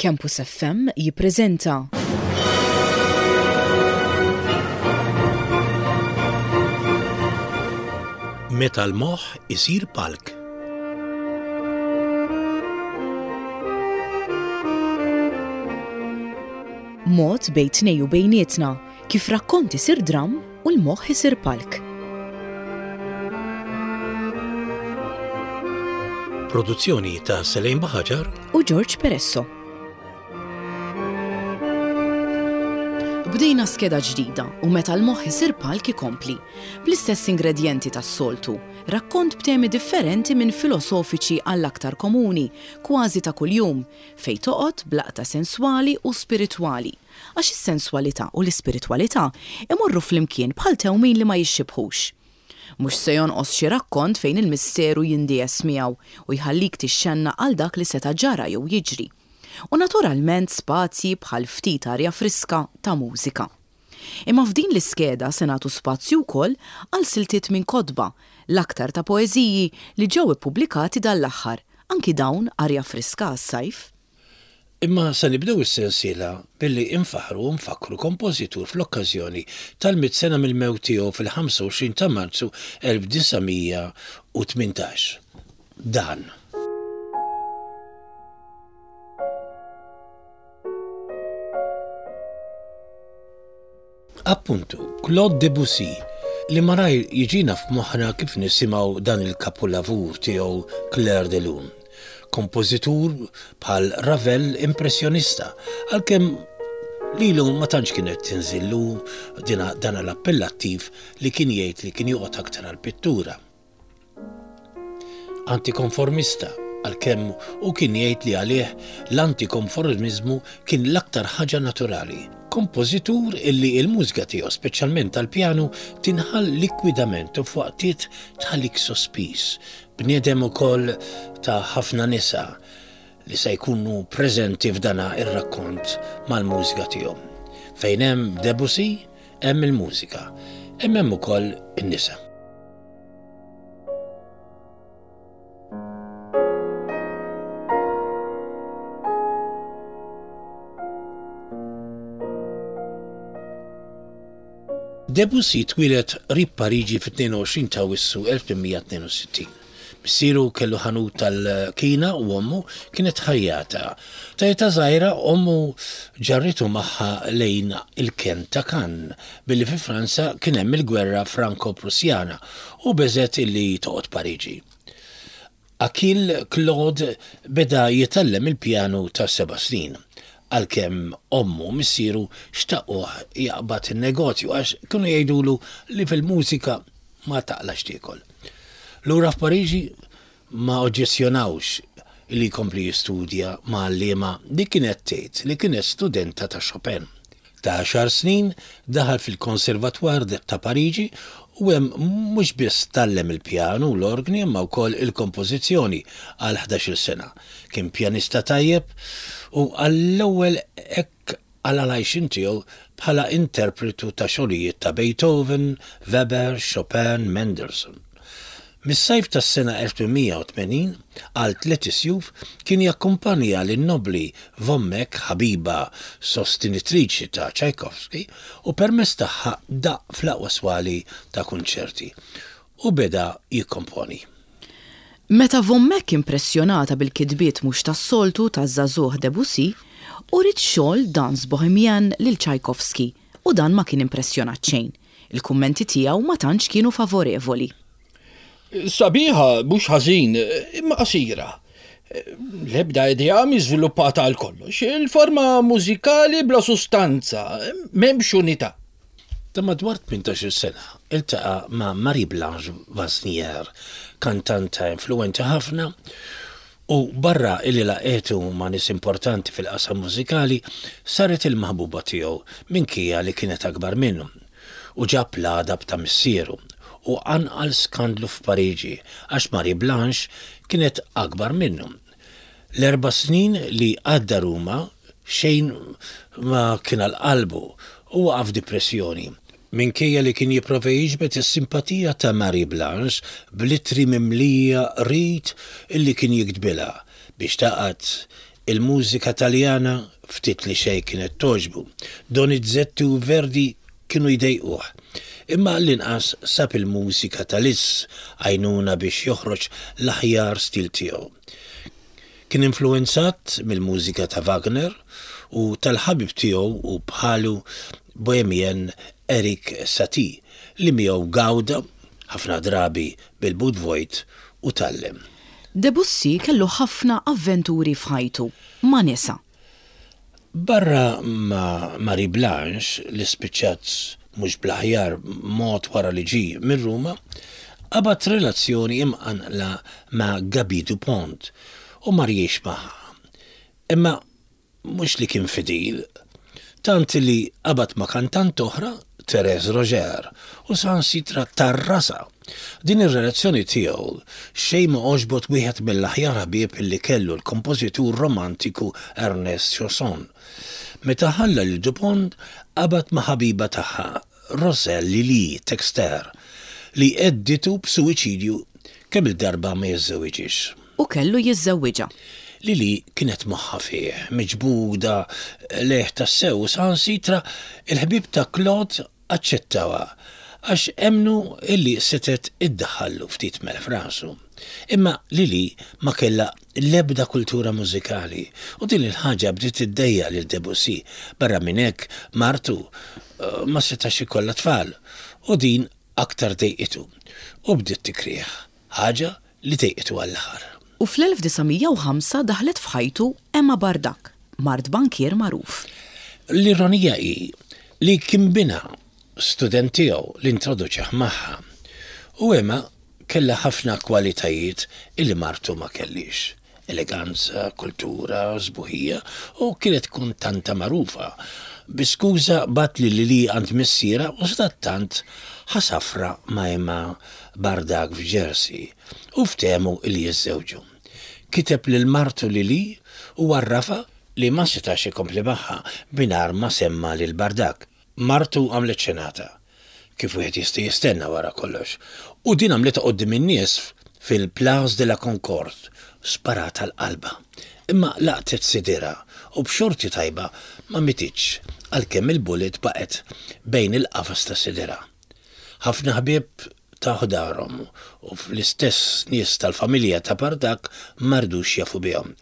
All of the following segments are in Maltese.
Campus FM jippreżenta. Meta l-moħħ isir palk. Mod bejn tnej u bejnietna kif rakkont isir dramm u l-moħħ isir palk. Produzzjoni ta' Selejn Baħaġar u George Peresso. Bdejna skeda ġdida u meta l-moħħ isir palk ikompli. Bl-istess ingredjenti tas-soltu, rakkont b'temi differenti minn filosofiċi għall-aktar komuni, kważi ta' kuljum, fejn toqgħod b'laqta senswali u spiritwali. Għax is-senswalità u l-ispiritwalità imorru flimkien bħal tewmin li ma jixxibħux. Mhux se jonqos xi rakkont fejn il-misteru jindiegħes miegħu u jħallik tixxennaq għal dak li seta' ġara jew jiġri. U naturalment spazji bħal ftit arja friska ta' mużika. Imma f'din l-iskeda se nagħtu spazju wkoll għal siltiet minn kotba, l-aktar ta' poeżiji li ġew ippubblikati dan l-aħħar, anki dawn arja friska għas-sajf. Imma se nibdew is-sensiela billi infaħħru u nfakkru kompożitur fl-okkażjoni tal-mitt sena mill-mewt tiegħu fil-25 ta' Marzu 1918. Dan. Appuntu, Claude Debussy, li malajr jiġina f'moħħna kif nisimgħu dan il-kapulavur tiegħu Clair de Lune. Kompożitur bħal Ravel impressjonista, għalkemm lilu ma tantx kienet tinżillu dan l-appellattiv li kien jgħid li kien joqgħod aktar għall-pittura. Antikonformista, għalkemm hu kien jgħid li għalih l-antikonformiżmu kien l-aktar ħaġa naturali. Kompożitur illi l-mużika tiegħu, speċjalment tal-pjanu, tinħall likwidament u f'waqtiet tħallik sospiż. Bniedem ukoll ta' ħafna nisa li se jkunu preżenti f'dana ir-rakkont mal-mużika tiegħu. Fejn hemm Debussy, hemm il-mużika, imma hemm ukoll in-nisa. Debussy twieled qrib Pariġi fit-22 ta' Awwissu 1862. Missieru kellu ħanut tal-kina u ommu kienet ħajjata. Ta' età żgħira ommu ġarritu magħha lejn il-kenn ta' Cannes billi fi Franza kien hemm il-gwerra Franko-Prussjana u beżgħet illi toqgħod Pariġi. Achille Claude beda jitgħallem il-pjanu ta' seba' snin, għalkemm ommu u missieru xtaquh jaqbad in-negozju għax kienu jgħidulu li fil-mużika ma taqlax tiekol. Lura f'Pariġi ma oġġezzjonawx li jkompli jistudja ma' għalliema li kienet tgħid li kienet studenta ta' Chopin. Ta' għaxar snin daħal fil-Conservatoire ta' Pariġi u hemm mhux biss tgħallem il-pjanu u l-orgni imma wkoll il-kompożizzjoni għal ħdax-il sena. Kien pjanista tajjeb u għall-ewwel hekk qala' l-għajxien tiegħu bħala interpretu ta' xogħlijiet ta' Beethoven, Weber, Chopin, Mendelssohn. Mis-sajf tas-sena 1880 għal tliet isjuf kien jakkumpanja lin-nobbli Von Meck, ħabiba sostenitriċi ta' Tchaikovsky, u permezz tagħha daqq fl-aqwa swali ta' kunċerti u beda jikkomponi. Meta Von Meck impressjonata bil-kitbiet mhux tas-soltu taż-żagħżugħ Debussy, uriet xogħol Danse Bohemienne lil Tchaikovsky u dan ma kien impressjonat xejn. Il-kummenti tiegħu ma tantx kienu favorevoli. Sabiħa mhux ħażin, imma qasira. L-ebda idea mhi żviluppata għal kollox. Il-forma mużikali bla sustanza, m'hemmx unità. Ta' madwar 18-il sena iltaqa' ma' Marie-Blanche Vasnier, kantanta influwenti ħafna u barra illi laqgħetu ma' nies importanti fil-qasam mużikali, saret il-maħbuba tiegħu minkejja li kienet akbar minnu. U ġab l-għadab ta' missieru u qanqal skandlu f'Pariġi għax Marie-Blanche kienet akbar minnu. L-erba' snin li għadda Ruma xejn ma kien għal qalbu u waqa' f'dipressjoni. Minkejja li kien jipprova jiġbed is-simpatija ta' Marie Blanche bl-ittri mimlija qrid illi kien jiktbilha biex tagħqad. Il-mużika Taljana ftit li xejn kienet togħġbu. Donizetti u Verdi kienu jdejquh. Imma għall-inqas sab il-mużika ta' Liszt għajnuna biex joħroġ l-aħjar stil tiegħu. Kien influwenzat mill-mużika ta' Wagner u tal-ħabib tiegħu u bħalu bohemien Erik Satie li miegħu gawda, ħafna drabi bil-but vojt, u tgħallem. Debussy kellu ħafna avventuri f'ħajtu, ma' nisa. Barra ma' Marie Blanche, li spiċċat mhux bl-aħjar mod wara li ġie minn Ruma, qabad relazzjoni imqanqla ma' Gaby Dupont u mar jgħix magħha. Imma Mhux li kien fidil, tant li qabad ma' kantant oħra, Thérèse Roger, u saħansitra tarrasha. Din ir-relazzjoni tiegħu xejn ma għoġbot wieħed mill-aħjar ħbieb li kellu l-kompożitur romantiku Ernest Chausson. Meta ħalla lil Dupont qabad ma' ħabiba tagħha, Roselle Lili Texter, li għedditu b'suwiċidju kemm-il darba ma jiżżewwiġhiex. U kellu jiżżewwiġha. Lili kienet moħħha fih, miġbuda lejh tassew u saħansitra l-ħbieb ta' Claude aċċettawha għax emmnu li setgħet iddaħħallu ftit melħ f'rasu. Imma Lili ma kellha l-ebda kultura mużikali u din il-ħaġa bdiet iddejjaq lil Debussy. Barra minn hekk martu ma setax ikollha tfal u din aktar dejqitu u bdiet tikrih, ħaġa li dejqitu għall-aħħar. U fl-1905 daħlet f'ħajtu Emma Bardac, mart bankier magħruf. L-ironija hi li kien binha, student tiegħu, li introduċih magħha. U Emma Kellha ħafna kwalitajiet illi martu ma kellhiex, eleganza, kultura, sbuħija u kienet kuntanta magħrufa. Bi skuża bagħat lil Lili għand missierha u sadattant ħa safra ma' Emma Bardak f'Jersey u ftehmu illi jiżżewġu. Kiteb lil martu Lili u għarrafha li ma setax ikompli magħha mingħajr ma semma lil Bardak. Martu għamlet xenata, kif wieħed jista' jistenna wara kollox, u din għamlitha quddiem in-nies fil-Place de la Concorde, sparat għal qalbha. Imma laqtet sidirha u b'xorti tajba ma mititx għalkemm il-bullet baqgħet bejn il-qafas ta' sidirha. Ħafna ħbieb taw darhom u fl-istess nies tal-familja ta' Bardak ma ridux jafu bihom.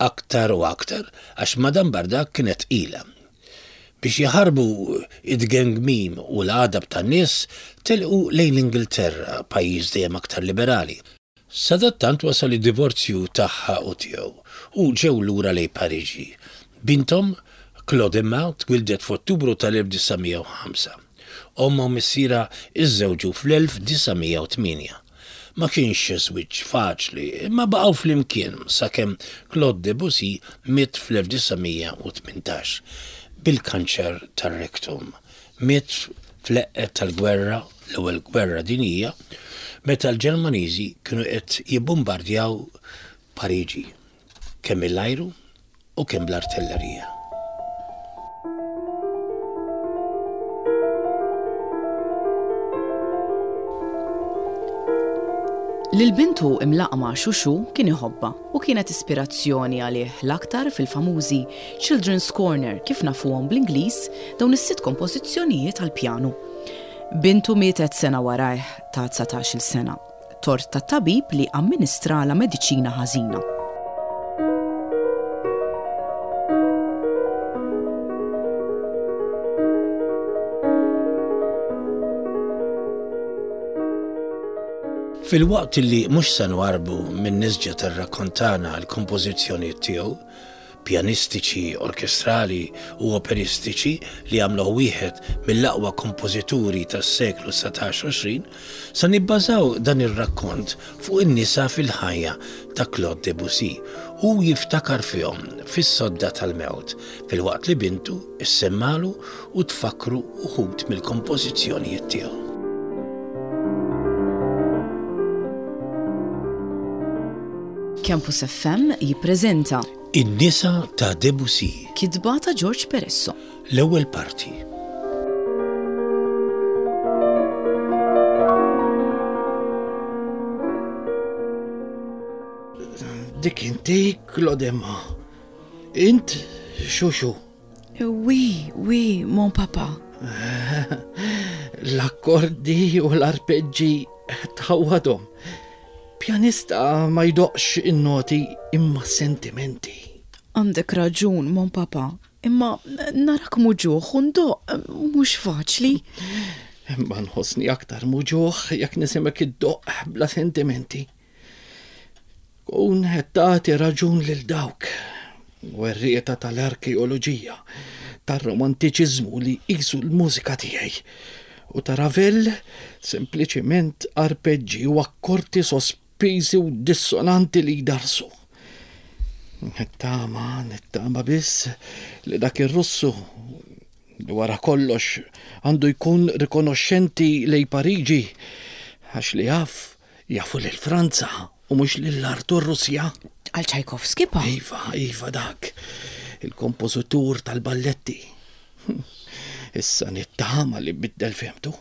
Aktar u aktar għax Madame Bardak kienet tqila. Biex jaħarbu it-tgengmim u l-għadab tan-nies, telqu lejn l-Ingilterra, pajjiż dejjem aktar liberali. Sadattant wasal id-divorzju tagħha u tiegħu, u ġew lura lejn Pariġi. Binthom, Claude Emma, twieldet f'Ottubru tal-1905. Ommha u missierha iżżewġu fl-1908. Ma kienx żwieġ faċli, imma baqgħu flimkien sakemm Claude Debussy miet fl-1918 bil-kanċer tar-rektum. Miet fl-eqqel tal-gwerra, l-Ewwel Gwerra Dinjija, meta l-Ġermaniżi kienu qed jibbumbardjaw Pariġi, kemm mill-ajru u kemm bl-artillerija. Lil bintu imlaqqma Xuxu kien iħobbha u kienet ispirazzjoni għalih l-aktar fil-famużi Children's Corner kif nafuhom bl-Ingliż dawn is-sitt kompożizzjonijiet għall-pjanu. Bintu mietet sena warajh ta' 19-il sena. Tort tat-tabib li amministralha mediċina ħażina. Filwaqt li mhux se nwarrbu min-nisġa tar-rakkont tagħna l-kompożizzjonijiet tiegħu, pjanistiċi, orkestrali u operistiċi li għamluh wieħed mill-aqwa kompożituri tas-seklu 19 u 20, se nibbażaw dan ir-rakkont fuq in-nisa fil-ħajja ta' Claude Debussy. Hu jiftakar fihom fis-sodda tal-mewt, filwaqt li bintu ssemmalu u tfakkru uħud mill-kompożizzjonijiet tiegħu. Campus FM jippreżenta. In-nisa ta' Debussy. Kitba ta' George Peresso. L-ewwel parti. Dik inti, Claudemma. Int xuxu. Oui, oui, mon papa. L-akkordi u l-arpeġġi tħawwadhom. Pjanista ma jdoqx in-noti imma sentimenti. Għandek raġun, mon papa, imma narak muġuħ u ndoq mhux faċli. Imma nħossni aktar muġuħ jekk nisimek iddoq bla sentimenti. Kun qed tagħti raġun lil dawk, werrieta tal-arkeoloġija, tar-romantiċiżmu li jqisu l-mużika tiegħi u ta' Ravel sempliċiment arpeġġi u akkordi sospiżi u dissonanti li jdarsu. Nittama, nittama biss li dak ir-Russu li wara kollox għandu jkun rikonoxxenti lejn Pariġi għax li jaf Jafu lil Franza u mhux lil art u r-Russja. Għal Tchaikovsky pa? Iva, iva dak. Il-kompożitur tal-balletti. Issa nittama li biddel fehmtu.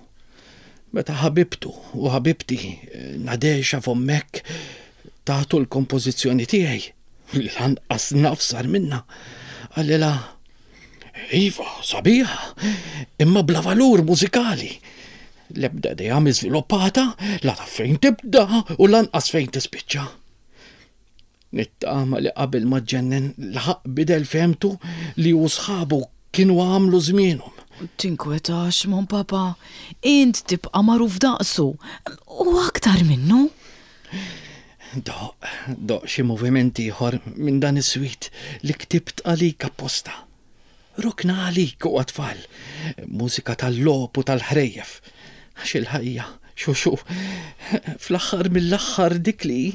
Meta ħabibtu u ħabibti Nadesha von Meck tagħtu l-kompożizzjoni tiegħi, li lanqas naf sar minnha, qalilha, Iva, sabiħa, imma bla valur mużikali. L-ebda idea mhi żviluppata, la taf fejn tibda u lanqas fejn tispiċċa. Nittama li qabel ma ġġennen laħaq bidel fehmtu li hu sħabu kienu għamlu żmienhom. Tinkwetax, mon papa, int tibqa' magħruf daqsu u aktar minnu. Doq, doq xi moviment ieħor minn dan is-suite li ktibt għalik apposta. Rokna għalik u għat-tfal. Mużika tal-logħob u tal-ħrejjef. Għax il-ħajja, xuxu, fl-aħħar mill-aħħar dik li hi,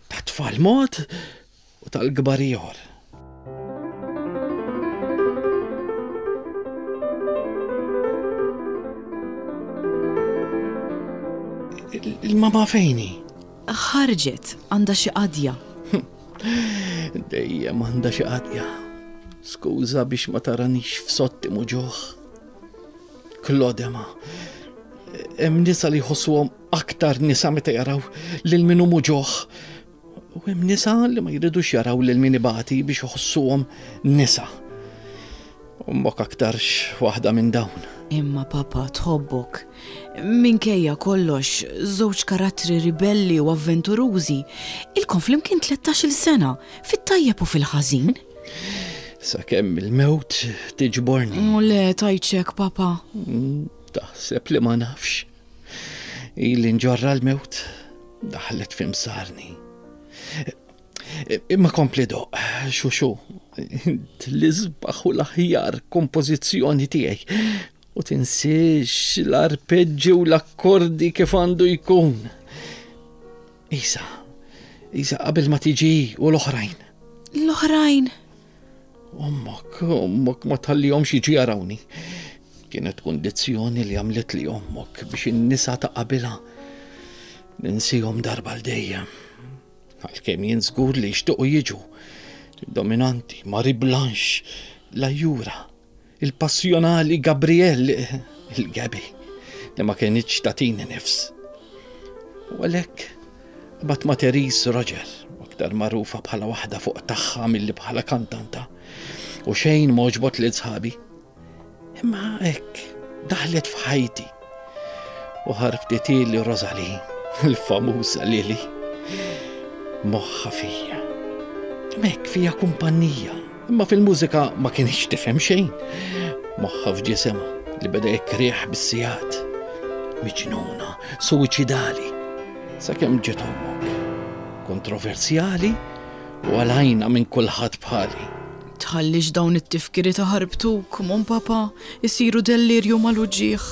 tat-tfal mod u tal-kbar ieħor. Il-mama fejn hi? Ħarġet, għandha xi qadja. Dejjem għandha xi qadja. Skuża biex ma taranix f'sotti muġuħ. Klodema. Hemm nisa li jħossuhom aktar nisa meta jaraw lil min hu muġuħ. U hemm nisa li ma jridux jaraw lil min ibati biex iħossuhom nisa. Ommok aktarx waħda minn dawn. Imma papa tħobbok. Minkejja kollox, żewġ karattri ribelli u avventurużi, ilkom flimkien 13-il sena, fit-tajjeb u fil-ħażin. Sakemm il-mewt tiġborni. U le, tajċek, papa. Mm, taħseb li ma nafx. Ili nġorra l-mewt, daħlet fimsarni. Imma kompli doq, xuxu, l-isbaħ u l-aħjar kompożizzjoni tiegħi. U tinsiex l-arpeġġi u l-akkordi kif għandu jkun. Isa, Isa qabel ma tiġi u l-oħrajn. L-oħrajn? Ommok, ommok ma tħallihomx jiġu jarawni. Kienet kundizzjoni li għamlet li ommok biex in-nisa ta' qabilha ninsihom darba l dejjem. Għalkemm jien żgur li jixtiequ jiġu. Dominanti, Marie Blanche, la Jura, il-passjonali Gabrielle, il-Gabi, li ma kienitx tagħtini nifs. U għalhekk bat ma' Therese Roger, aktar magħrufa bħala waħda fuq tagħha milli bħala kantanta. U xejn m'għoġbot lil sħabi. Imma hekk daħlet f'ħajti u ħarbtitili Rosalie, il-famuża Lili. Moħħa fija. Mek fija kumpanija, imma fil-mużika ma kienx tifhem xejn. Moħħa f'ġisimha li beda jekriħ bis-sigħat. Miġnuna, suwiċidali, sakemm ġiet ommok. Kontroversjali u għalajna minn kulħadd bħali. Tħallix dawn it-tifkiriet iħarbtuk, mon papa, isiru dellirju mal-uġigħ.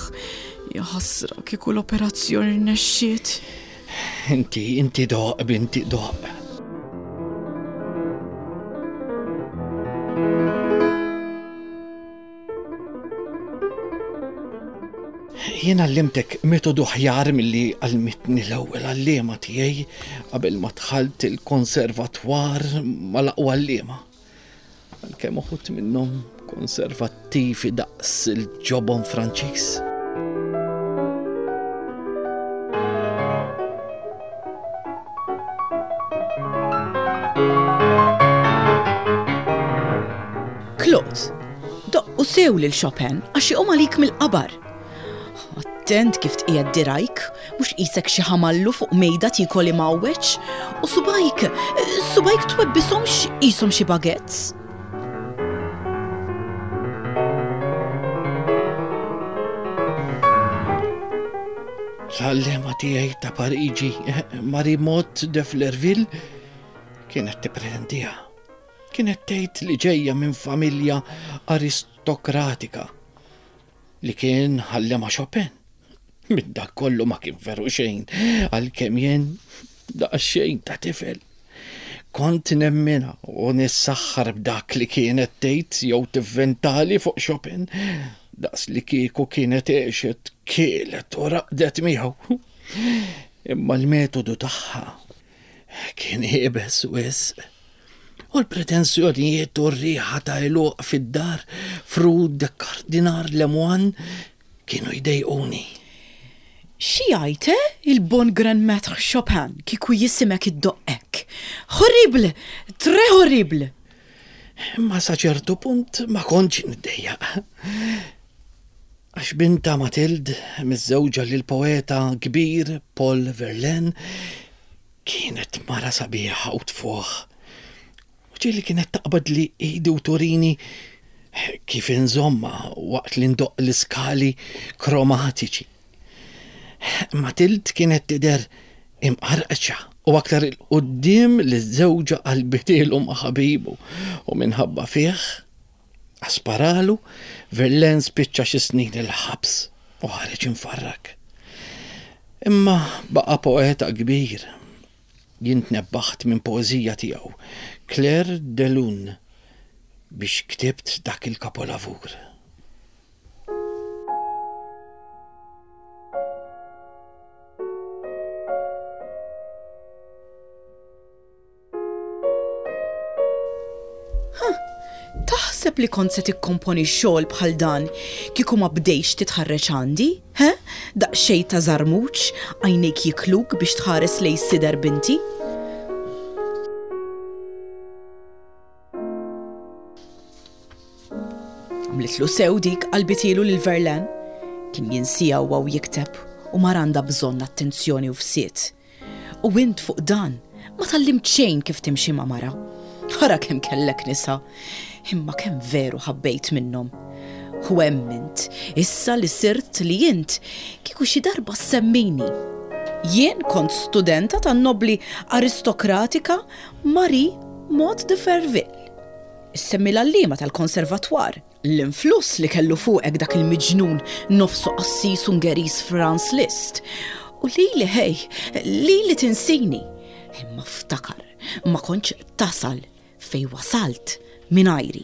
Jaħasra kieku l-operazzjoni rnexxiet. Inti, inti doq, binti doq. Jien għallimtek metodu ħjar milli għallmitni l-ewwel għalliema tiegħi qabel ma dħalt il-konservatwar mal-aqwa għalliema. Għalkemm uħud minnhom konservattivi daqs il-ġobon Franċiż. Claude, doqqu sew lil Chopin għax iqum għalik mill-qabar. Attent kif tqiegħed dirajk, mhux qisek xi ħamallu fuq mejda tiekol imgħawweġ, u subajk, subajk twebbishomx qishom xi baguettes. L-għallema tiegħi ta' Pariġi, Marie Mott de Flerville, kienet tippretendiha. Kienet tgħid li ġejja minn familja aristokratika li kien ħallema Chopin. Minn dak kollu ma kien veru xejn, għalkemm jien daqsxejn ta' tifel. Kont nemminha u nissaħħar b'dak li kienet tgħid jew tivventali fuq Chopin, daqs li kieku kienet għexet, kielet u raqdet miegħu. Imma l-metodu tagħha Kien iebes wisq. U l-pretensjonijiet u r-riħa ta' għeluq fid-dar f'Rue de Cardinal Lemoine kienu jdejquni. Xi jgħid, eh, il-bon grand maître Chopin kieku jisimgħek iddoqq hekk? Horrible! Très horrible! Imma sa ċertu punt ma kontx niddejjaq. Għax bintha Mathilde, miżżewġa lill-poeta kbir Paul Verlaine, kienet mara sabiħa u tfuħ. U ġieli kienet taqbadli idi u turini kif inżommha waqt li ndoqq l-iskali kromatiċi. Mathilde kienet tidher imqarqċa u aktar 'il quddiem li żewġha qalbitielu ma' ħabibu u minħabba fih Sparalu, Verlaine spiċċa xi snin il-ħabs u ħareġ imfarrak. Imma baqa' poeta kbir. Jien tnebbaħt minn poeżija tiegħu, Clair de Lune, biex ktibt dak il-kapolavur. Huh! Taħseb li kont se tikkomponi xogħol bħal dan kieku ma bdejtx titħarreġ għandi, he? Daqsxejn ta' żarmuġ, għajnejk jikluk biex tħares lejn sider binti? Għamlitlu sew dik qalbitielu lil Verlaine. Kien jinsieha huwa u jikteb u mara għandha bżonn attenzjoni u fsied. U int fuq dan ma tgħallimt xejn kif timxi ma' mara. Ara kemm kellek nisa, imma kemm veru ħabbejt minnhom. U hemm int, issa li sirt li int, kieku xi darba ssemmini. Jien kont studenta tan-nobbli aristokratika Marie Maud de Ferville. Issemmi l-għalliema tal-konservatwar. L-influss li kellu fuqek dak il-miġnun nofsu qassis Ungeriż Franz Liszt. U lili ħej, lili tinsini. Imma ftakar, ma kontx tasal fejn wasalt mingħajri.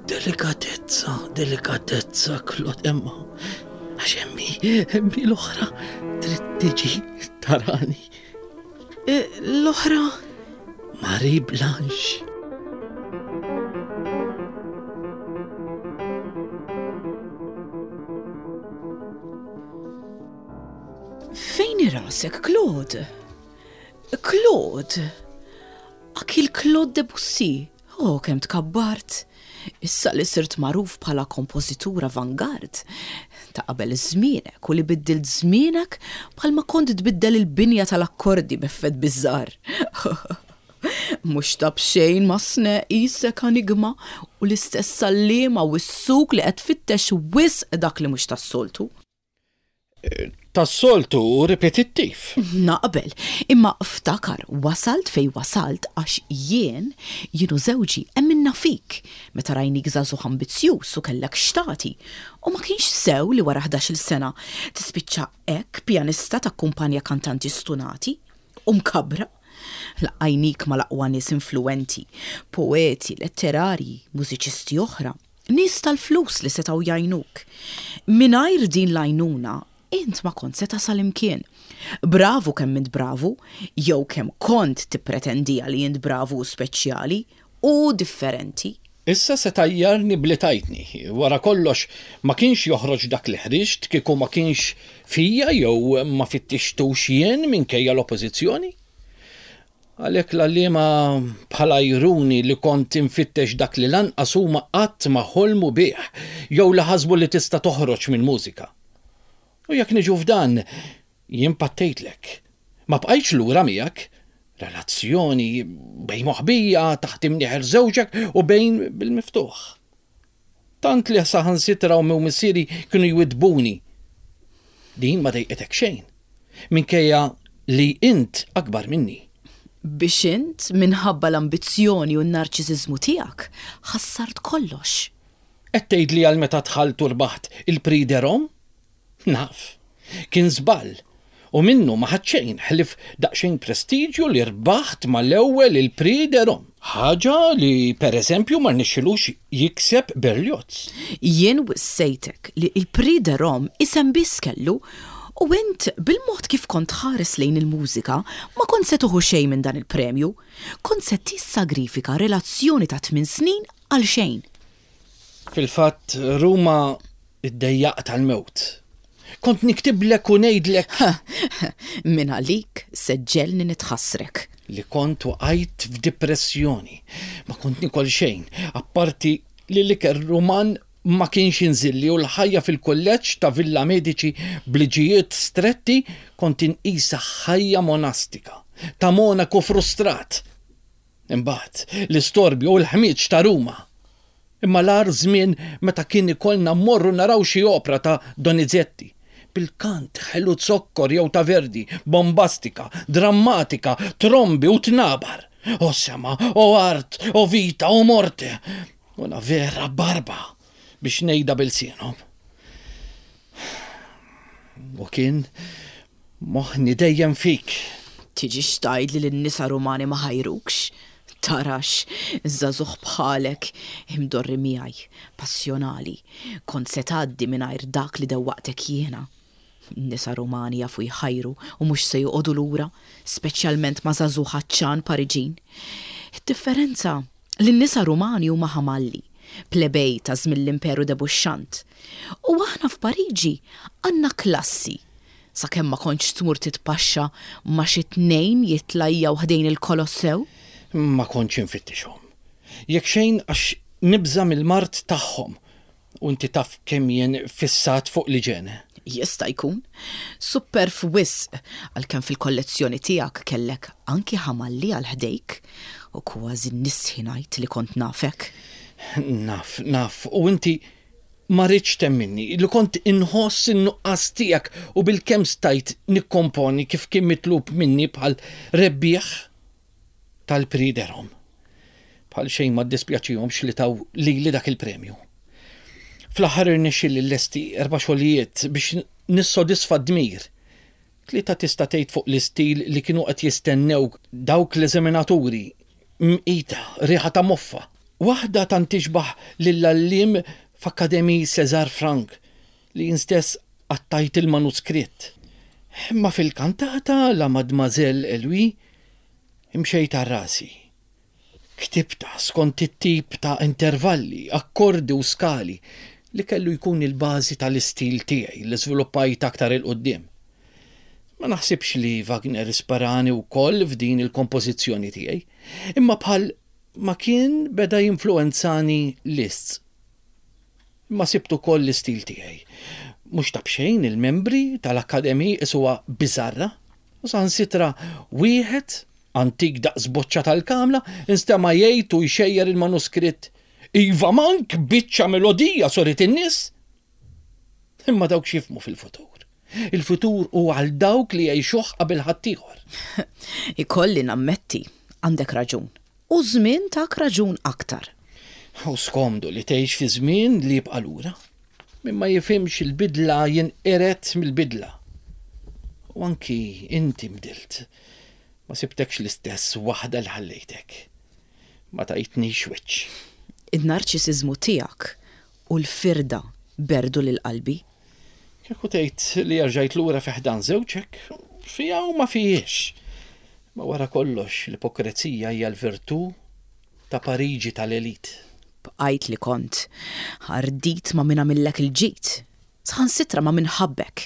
Delikatezza, delikatezza, Claude Emma. Għax emmi, emmi l-oħra trid tiġi tarani. E, l-oħra? Marie Blanche. Fejn hi rasek, Claude? Claude! Ak il-Claude Debussy! Oh, kemm tkabbart! Issa li sirt magħruf bħala kompożitur avangard, ta' qabel żmienek u li biddilt żmienek bħalma kont tbiddel il-binja tal-akkordi b'effett biżżar. Mhux ta' b'xejn Masne qisek anigma u l-istess għalliema wissuk li qed tfittex wisq dak li mhux tas-soltu. Tas-soltu u ripetittiv. Naqbel, imma ftakar wasalt fejn wasalt għax jien, jien u żewġi emminna fik meta rajnik żagħżugħ ambizzjuż u kellek x'tagħti u ma kienx sew li wara ħdax-il sena tispiċċa hekk pjanista takkumpanja kantanti stunati u mkabbra. Laqqajnik mal-aqwa nies influwenti, poeti, letterarji, mużiċisti oħra. Nies tal-flus li setgħu jgħinuk. Mingħajr din l-għajnuna, int ma kont se tasal imkien. Bravu kemm int bravu, jew kemm kont tippretendiha li int bravu u speċjali, u differenti. Issa se tgħajjarni b'li tajtni. Wara kollox, ma kienx joħroġ dak li ħriġt kieku ma kienx fija jew ma fittixtux jien minkejja l-oppożizzjoni. Għalhekk l-għalliema bħal għajruni li kont infittex dak li lanqas huma qatt ma ħolmu bih jew li ħasbu li tista' toħroġ mill-mużika. U jekk niġu f'dan, Jien pattejtlek. Ma bqajtx lura miegħek. Relazzjoni bejn moħbija, taħt imnieħer żewġek u bejn bil-miftuħ. Tant li saħansitra ommi u missieri kienu jwiddbuni. Din ma dejqitek xejn. Minkejja li int akbar minni. Biex int, minħabba l-ambizzjoni u n-narċisiżmu tiegħek, ħassart kollox. Qed tgħidli għal meta dħalt u rbaħt il-Prix de Rome? Naf. Kien żball. U minnu ma ħadt xejn ħlief daqsxejn prestiġju li rbaħt mal-ewwel il-Prix de Rome. Ħaġa li per eżempju ma rnexxilux jikseb Berlioz. Jien wissejtek li l-Prix de Rome isem biss kellu u int bil-mod kif kont tħares lejn il-mużika ma kont se tieħu xejn minn dan il-premju. Kont se tissagrifika relazzjoni ta' tmien snin għal xejn. Fil-fatt Ruma iddejjaqt għall-mewt. Kont niktiblek u ngħidlek. Min għalik se ġġegħelni nitħassrek. Li kont waqajt f'dipressjoni. Ma kont nikol xejn, apparti li l-ikel Ruman ma kienx jinżilli u l-ħajja fil-kulleġġ ta' Villa Medici b'liġijiet stretti kont inqisha ħajja monastika, ta' monaku frustrat. Imbagħad, l-istorbju u l-ħmieġ ta' Ruma. Imma l-agħar żmien meta kien ikollna mmorru naraw xi opra ta' Donizetti, bil-kant ħelu zokkor jew ta' Verdi, bombastika, drammatika, trombi u tnabar. O sema, o art, o vita, o morte! Una vera barba biex ngħidha b'ilsienhom. U kien Moħħni dejjem fik. Tiġix tgħidli li n-nisa Rumani ma ħajrukx. Tarax, żagħżugħ bħalek, imdorri miegħi, passjonali, kont se tgħaddi mingħajr dak li dewwaqtek jiena. N-nisa Rumani jafu jħajru u mhux se joqogħdu lura, speċjalment ma' żagħżugħ għatxan Pariġin. Id-differenza li n-nisa Rumani huma ħamalli, plebej ta' żmien l-Imperu debuxxant. U aħna f'Pariġi għandna klassi, sakemm ma kontx tmur titpaxxa ma' xi tnejn jitlajjaw ħdejn il-Kolossew. Ma kontx infittixhom. Jekk xejn għax nibża' mill-mard tagħhom U inti taf kemm jien fissat fuq l-iġene. Jista' jkun. Supperv wisq, għalkemm fil-kollezzjoni tiegħek kellek anki ħamalli għal ħdejk, u kważi nistħi ngħid li kont nafek. Naf, naf, u inti ma ridtx temminni li kont inħoss in-nuqqas tiegħek u bilkemm stajt nikkomponi kif kien mitlub minni bħal rebbieħ. tal-Prix de Rome. Bħal xejn ma ddispjaċihomx li taw lili dak il-premju. Fl-aħħar irnexxieli nlesti erba' xogħlijiet biex nissodisfa d-dmir. Tlieta tista' tgħid fuq l-istil li kienu qed jistennew dawk l-eżaminaturi, mqita, riħa ta' moffa. Waħda tant tixbah lill-għalliem f'Académie César Franck li jien stess qattajt il-manuskritt. Imma fil-kantata La Mademoiselle et lui Imxejt għal rasi. Ktibtha skont it-tip ta' intervalli, akkordi u skali li kellu jkun il-bażi tal-istil tiegħi li żviluppajt aktar 'il quddiem. Ma naħsibx li Wagner isparani wkoll f'din il-kompożizzjoni tiegħi, imma bħal ma kien beda jinfluwenzani Liszt. Imma sibt ukoll l-istil tiegħi. Mhux ta' b'xejn il-membri tal-Académie qisuha biżarra u saħansitra wieħed, antik daqs boċċa tal-kamla, instema' jgħid u jxejjer il-manuskritt, Iva mank biċċa melodija sorit in-nies! Imma dawk x'jifhmu fil-futur? Il-futur hu għal dawk li jgħixuh qabel ħaddieħor. Ikolli nammetti, għandek raġun. U ż-żmien tak raġun aktar. Hu skomdu li tgħix fi żmien li jibqa' lura. Min ma jifhimx il-bidla jinqired mill-bidla. U anki inti nbdilt. Ma sibtekx l-istess waħda li ħallejtek. Ma tajtnix wiċċ. In-narċisiżmu tiegħek u l-firda berdu lil qalbi. Kieku tgħid li erġajt lura fi ħdan żewġek, fiha u ma fihiex. Imma wara kollox l-ipokrezija hija l-virtù. Ta' Pariġi tal-elit. Bqajt li kont. Ardit ma' min għamillek il-ġid. Saħansitra ma' min ħabbek.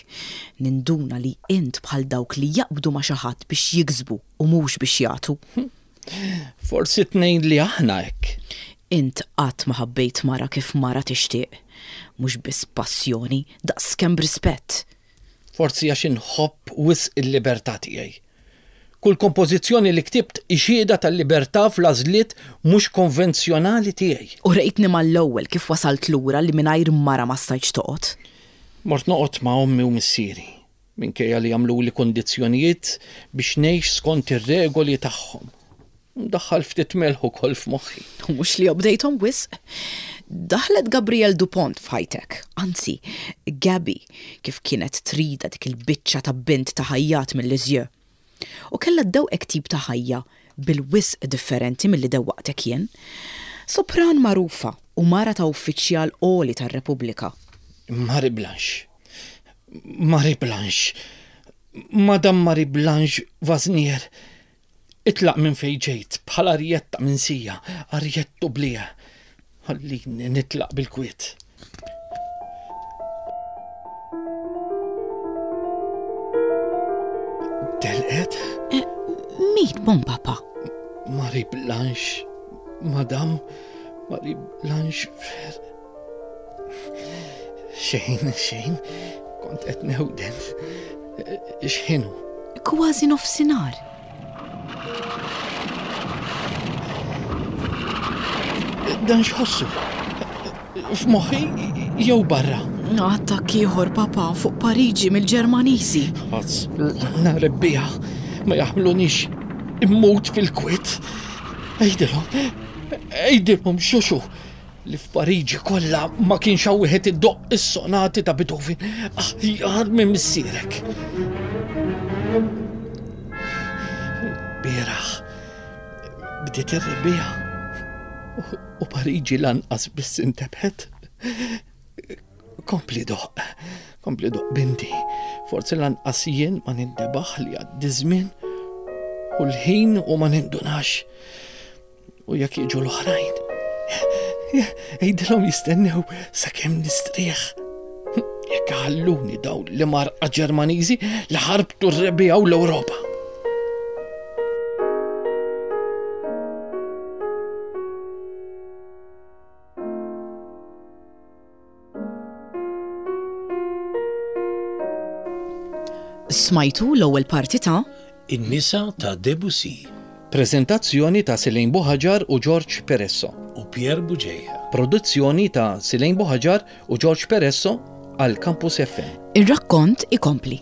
Ninduna li int bħal dawk li jaqbdu ma' xi ħadd biex jiksbu u mhux biex jagħtu. Forsi t-tnejn li aħna hekk. Int qatt ma ħabbejt mara kif mara tixtieq. Mhux biss b'passjoni, daqskemm b'rispett. Forsi għax inħobb wisq il-libertà tiegħi. Kull kompożizzjoni li ktibt hi xhieda tal-libertà fl-għażliet mhux konvenzjonali tiegħi. Urejtni mal-ewwel kif wasalt lura li mingħajr mara ma stajtx toqgħod. Mort noqgħod ma' ommi u missieri, minkejja li għamluli kundizzjonijiet biex ngħix skont ir-regoli tagħhom. Ndaħħal ftit melħ ukoll f'moħħi. U mhux li obdejthom wisq. Daħlet Gabrielle Dupont f'ħajtek, anzi, Gabby, kif kienet tridha dik il-biċċa ta' bint ta' ħajjat minn Lisieux. U kellha ddewqek tip ta' ħajja bil-wisq differenti milli dewwaqtek jien. Sopran magħrufa u mara ta' uffiċjal għoli tar-Repubblika. Marie Blanche. Marie Blanche. Madame Marie Blanche Vasnier. Itlaq minn fejn ġejt bħal arjetta minsija, arjett oublié. Ħallini nitlaq bil-kwiet. Telqet? Eh, min, bon papa? Marie Blanche, Madame Marie Blanche Fer. Xejn, xejn, kont qed newden. X'ħinu? Kważi nofsinhar. Dan x'ħossu? F'moħħi jew barra? Attakk ieħor, papa, fuq Pariġi mill-Ġermaniżi. Għażlna rebbieħa ma jaħmlunix immut fil-kwiet. Għidilhom, għidilhom xuxu li f'Pariġi kollha ma kienx hawn wieħed iddoqq is-sonati ta' Beethoven aħjar minn missierek. Bieraħ bdiet ir-rebbiegħa u Pariġi lanqas biss intebħet. Kompli doqq, kompli doqq binti. Forsi lanqas jien ma nintebaħ li għaddi żmien u l-ħin u ma nindunax. U jekk jiġu l-oħrajn, għidilhom jistennew sakemm nistrieħ. Jekk ħalluni dawn li marqa Ġermaniżi li ħarbtu r-rebbiegħa u l-Ewropa. Smajtu l-ewwel parti ta' In-nisa ta' Debussy. Preżentazzjoni ta' Selaine Buhaġar u George Peresso. U Pierre Bugeja. Produzzjoni ta' Selaine Buhaġar u George Peresso għal Campus FM. Ir-rakkont ikompli.